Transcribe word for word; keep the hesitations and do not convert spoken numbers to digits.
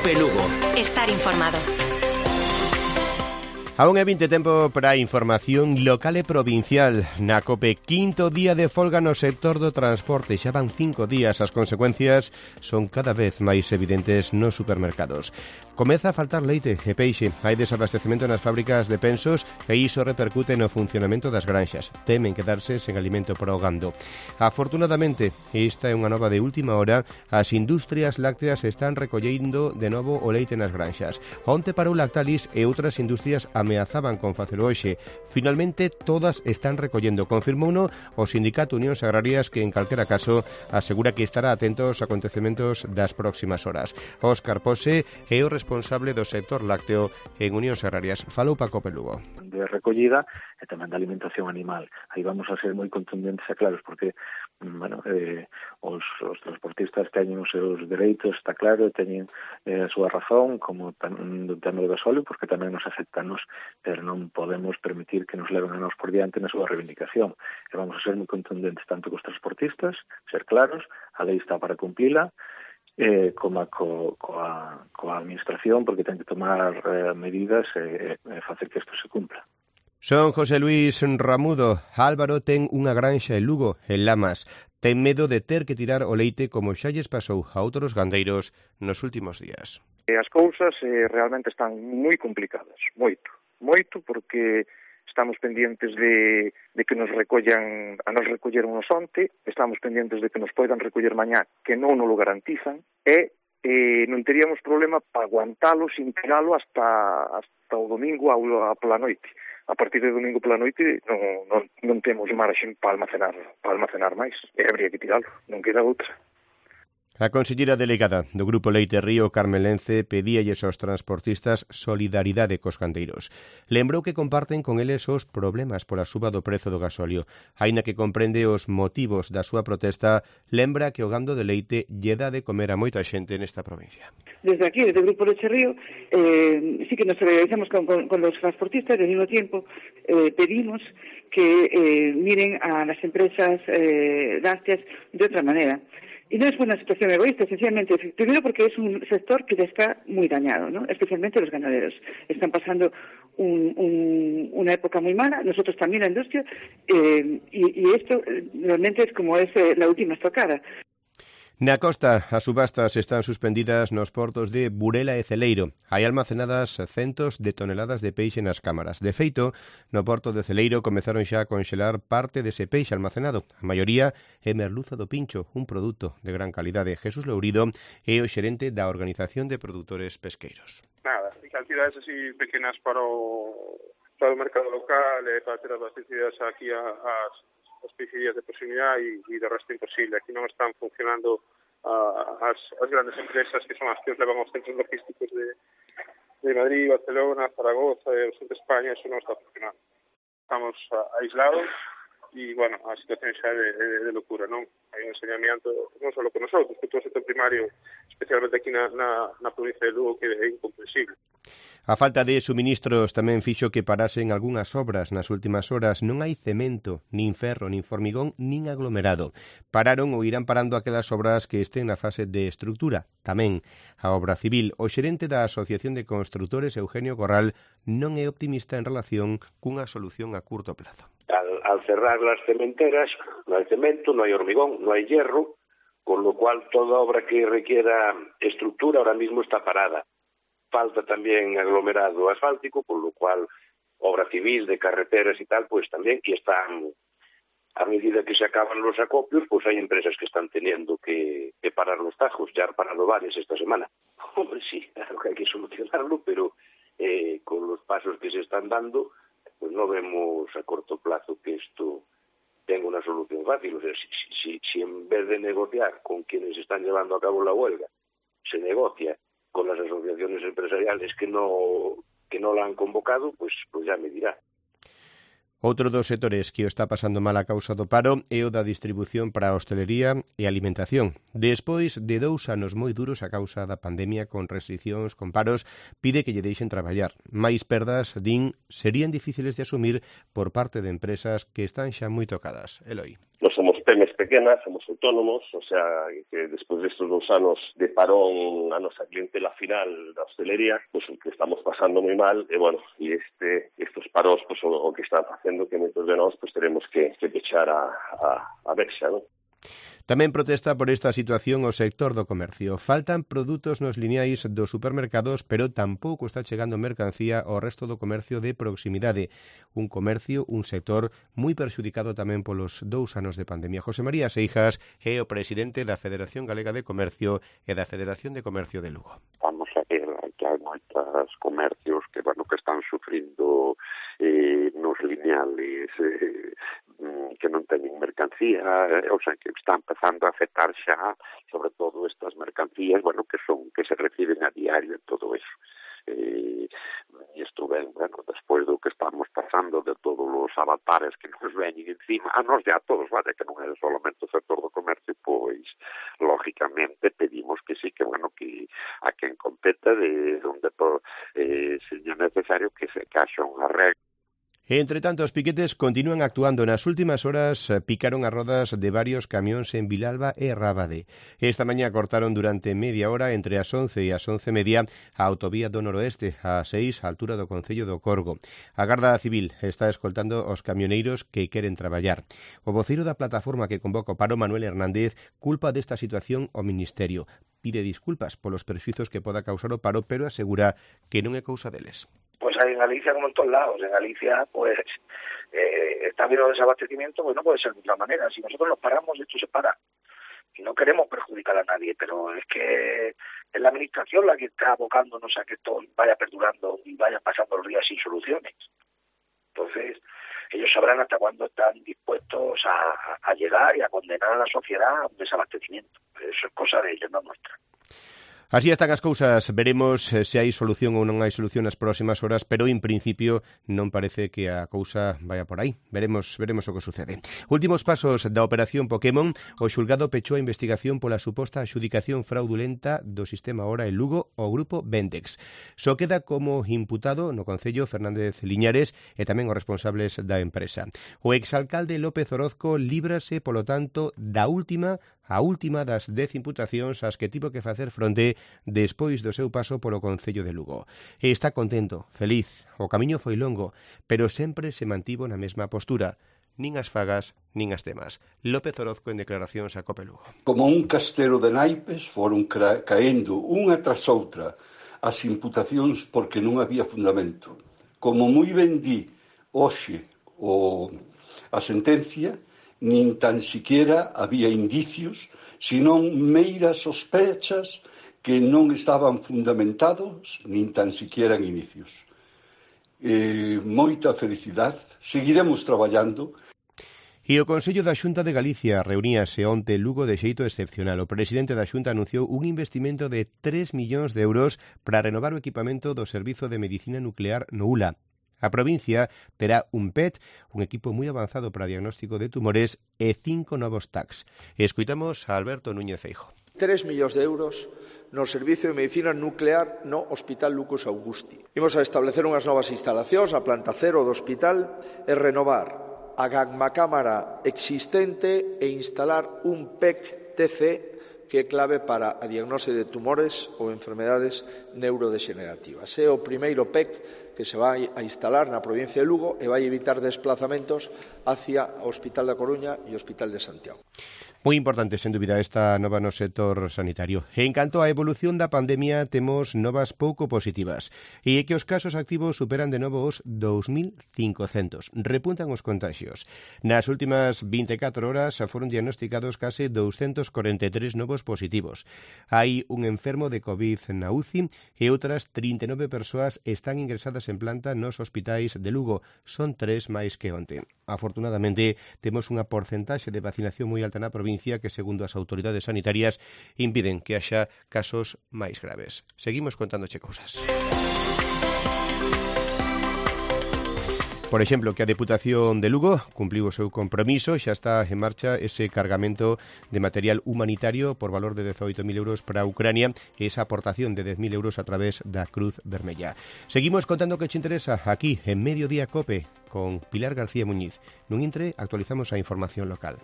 Cope Lugo. Estar informado. Aún é vinte tempo para a información local e provincial na COPE. Quinto día de folga no sector do transporte. Xa van cinco días. As consecuencias son cada vez máis evidentes nos supermercados. Comeza a faltar leite e peixe. Hai desabastecemento nas fábricas de pensos e iso repercute no funcionamento das granxas. Temen quedarse sen alimento para o gando. Afortunadamente, esta é unha nova de última hora, as industrias lácteas están recollendo de novo o leite nas granxas. Onte parou Lactalis e outras industrias ameazaban con facelo hoxe. Finalmente, todas están recollendo. Confirmouno o Sindicato Unións Agrarias, que en calquera caso asegura que estará atento aos acontecementos das próximas horas. Óscar Pose é o responsable do sector lácteo en Unións Agrarias. Falou para Cope Lugo. De recollida e tamén da alimentación animal. Aí vamos a ser moi contundentes e claros, porque bueno, eh, os, os transportistas teñen os seus dereitos, está claro, teñen eh, a súa razón, como tan, do tema do gasóleo, porque tamén nos afectanos, pero non podemos permitir que nos leven a nós por diante na súa reivindicación. E vamos a ser moi contundentes tanto cos transportistas, ser claros, a lei está para cumplila, eh, como a, co, coa, coa administración, porque ten que tomar eh, medidas e eh, facer que isto se cumpla. Son José Luis Ramudo. Álvaro ten unha granxa en Lugo, en Lamas. Ten medo de ter que tirar o leite como xa lles pasou a outros gandeiros nos últimos días. As cousas eh, realmente están moi complicadas, moito, moito, porque estamos pendientes de, de que nos recollan, a nos recolleron nos onte, estamos pendientes de que nos poidan recoller mañá, que non nos lo garantizan, e eh, non teríamos problema para aguantalo sin tiralo hasta, hasta o domingo a, a pola noite. A partir de domingo pola noite non, non, non temos marxen para almacenar, para almacenar máis, e habría que tiralo, non queda outra. A conselleira delegada do Grupo Leite Río, Carmen Lence, pedíalles aos transportistas solidaridade cos gandeiros. Lembrou que comparten con eles os problemas pola suba do prezo do gasóleo. Aínda que comprende os motivos da súa protesta, lembra que o gando de leite lle dá de comer a moita xente nesta provincia. Desde aquí, desde o Grupo Leite Río, eh, sí que nos solidarizamos con, con, con los transportistas y al mismo tiempo eh, pedimos que eh, miren a las empresas eh, lácteas de otra manera. Y no es una situación egoísta, sencillamente, primero porque es un sector que ya está muy dañado, ¿no? Especialmente los ganaderos. Están pasando un, un, una época muy mala, nosotros también la industria, eh, y, y esto realmente es como es eh, la última estocada. Na costa, as subastas están suspendidas nos portos de Burela e Celeiro. Hai almacenadas centos de toneladas de peixe nas cámaras. De feito, no porto de Celeiro comezaron xa a conxelar parte dese peixe almacenado. A maioría é merluza do pincho, un produto de gran calidade. Jesús Lourido é o xerente da Organización de Produtores Pesqueiros. Nada, cantidades así pequenas para o, para o mercado local e para ter abastecidas aquí a, as as peixerías de proximidade e, e de resto imposible. Aquí non están funcionando uh, as, as grandes empresas que son as que os levan aos centros logísticos de, de Madrid, Barcelona, Zaragoza e o sur de España, eso non está funcionando. Estamos uh, aislados e, bueno, a situación xa é de, de, de locura, non? Hai un enseñamiento non só con nosotros, con todo o sector primario, especialmente aquí na, na, na provincia de Lugo, que é incomprensible. A falta de suministros tamén fixo que parasen algunhas obras nas últimas horas. Non hai cemento, nin ferro, nin formigón, nin aglomerado. Pararon ou irán parando aquelas obras que estén na fase de estrutura. Tamén a obra civil. O xerente da Asociación de Construtores, Eugenio Corral, non é optimista en relación cunha solución a curto plazo. Al, al cerrar las cementeras, non hai cemento, non hai hormigón, non hai hierro, con lo cual toda obra que requiera estructura ahora mismo está parada. Falta también aglomerado asfáltico, por lo cual obra civil de carreteras y tal, pues también, y están, a medida que se acaban los acopios, pues hay empresas que están teniendo que, que parar los tajos. Ya han parado varias esta semana. Hombre, sí, claro que hay que solucionarlo, pero eh, con los pasos que se están dando, pues no vemos a corto plazo que esto tenga una solución fácil. O sea, si, si, si en vez de negociar con quienes están llevando a cabo la huelga, se negocia con las asociaciones empresariales que no que no la han convocado, pues, pues ya me dirá. Outro dos sectores que o está pasando mal a causa do paro é o da distribución para a hostelería e alimentación. Despois de dous anos moi duros a causa da pandemia, con restriccións, con paros, pide que lle deixen traballar. Mais perdas, din, serían difíciles de asumir por parte de empresas que están xa moi tocadas. Eloi. Nos somos pemes pequenas, somos autónomos, o sea, que despois destes dous anos de parón a nosa clientela final da hostelería, pues o que estamos pasando moi mal, e bueno, e este, estos paros, pues o, o que están facendo que moitos de nós pues teremos que, que pechar a, a, a verxa, non? Tamén protesta por esta situación o sector do comercio. Faltan produtos nos lineais dos supermercados, pero tampouco está chegando mercancía ao resto do comercio de proximidade. Un comercio, un sector moi perxudicado tamén polos dous anos de pandemia. José María Seijas é o presidente da Federación Galega de Comercio e da Federación de Comercio de Lugo. Vamos a ver que hai moitos comercios que, bueno, que están sufrindo eh, nos lineales eh, que non teñen mercancía, eh, o sea, que están empezando a afectar xa, sobre todo estas mercancías, bueno, que son que se reciben a diario e todo eso. Eh, e isto ven, bueno, despois do que estamos pasando de todos os avatares que nos veñen encima, a nos ya a todos, vale, que non é solamente o sector do comercio, pois, lógicamente, pedimos que sí, que, bueno, que a quen competa de onde eh, seña necesario que se caxa unha regla. Entre tanto, os piquetes continúan actuando. Nas últimas horas picaron as rodas de varios camións en Vilalba e Rábade. Esta mañá cortaron durante media hora entre as once e as once e media a autovía do noroeste, a seis, a altura do Concello do Corgo. A Garda Civil está escoltando os camioneiros que queren traballar. O voceiro da plataforma que convoca o paro, Manuel Hernández, culpa desta situación ao Ministerio. Pide disculpas polos perxuizos que poda causar o paro, pero asegura que non é cousa deles. Pues en Galicia, como en todos lados, en Galicia, pues, eh, está habiendo desabastecimiento, pues no puede ser de otra manera. Si nosotros nos paramos, esto se para. Y no queremos perjudicar a nadie, pero es que es la administración la que está abocándonos a que esto vaya perdurando y vaya pasando los días sin soluciones. Entonces, ellos sabrán hasta cuándo están dispuestos a, a llegar y a condenar a la sociedad a un desabastecimiento. Eso es cosa de ellos, no nuestra. Así están as cousas, veremos se hai solución ou non hai solución nas próximas horas, pero en principio non parece que a cousa vaya por aí. Veremos veremos o que sucede. Últimos pasos da operación Pokémon, o xulgado pechou a investigación pola suposta adxudicación fraudulenta do sistema Hora en Lugo ao grupo Vendex. Só queda como imputado no Concello Fernández Liñares e tamén os responsables da empresa. O exalcalde López Orozco líbrase, polo tanto, da última a última das dez imputacións ás que tivo que facer fronte despois do seu paso polo Concello de Lugo. E está contento, feliz. O camiño foi longo, pero sempre se mantivo na mesma postura. Nin as fagas, nin as temas. López Orozco en declaracións a Cope Lugo. Como un castelo de naipes foron caendo unha tras outra as imputacións porque non había fundamento. Como moi ben di hoxe o, a sentencia, nin tan siquiera había indicios, senón meiras sospechas que non estaban fundamentados, nin tan siquiera en inicios. Eh, moita felicidade, seguiremos traballando. E o Consello da Xunta de Galicia reuníase onte en Lugo de xeito excepcional. O presidente da Xunta anunciou un investimento de tres millóns de euros para renovar o equipamento do Servizo de Medicina Nuclear no U L A. A provincia terá un P E T, un equipo moi avanzado para diagnóstico de tumores, e cinco novos T A Cs. Escoitamos a Alberto Núñez Feijóo. tres millóns de euros no Servicio de Medicina Nuclear no Hospital Lucas Augusti. Imos a establecer unhas novas instalacións na planta cero do hospital e renovar a gamma-cámara existente e instalar un P E C T C que é clave para a diagnose de tumores ou enfermedades neurodegenerativas. É o primeiro P E C que se vai a instalar na provincia de Lugo e vai evitar desplazamentos hacia o Hospital da Coruña e o Hospital de Santiago. Moi importante, sen dúbida, esta nova no sector sanitario. En canto á evolución da pandemia, temos novas pouco positivas. E é que os casos activos superan de novo os dous mil cincocentos. Repuntan os contagios. Nas últimas vinte e catro horas foron diagnosticados case doscientos corenta e tres novos positivos. Hai un enfermo de COVID na U C I e outras trinta e nove persoas están ingresadas en planta nos hospitais de Lugo. Son tres máis que onte. Afortunadamente, temos unha porcentaxe de vacinación moi alta na provincia que, segundo as autoridades sanitarias, impiden que haxa casos máis graves. Seguimos contándoche cousas. Por exemplo, que a Deputación de Lugo cumpliu o seu compromiso, xa está en marcha ese cargamento de material humanitario por valor de dezoito mil euros para Ucrania e esa aportación de dez mil euros a través da Cruz Vermella. Seguimos contando que te interesa aquí en Mediodía Cope con Pilar García Muñiz. Nun intre actualizamos a información local.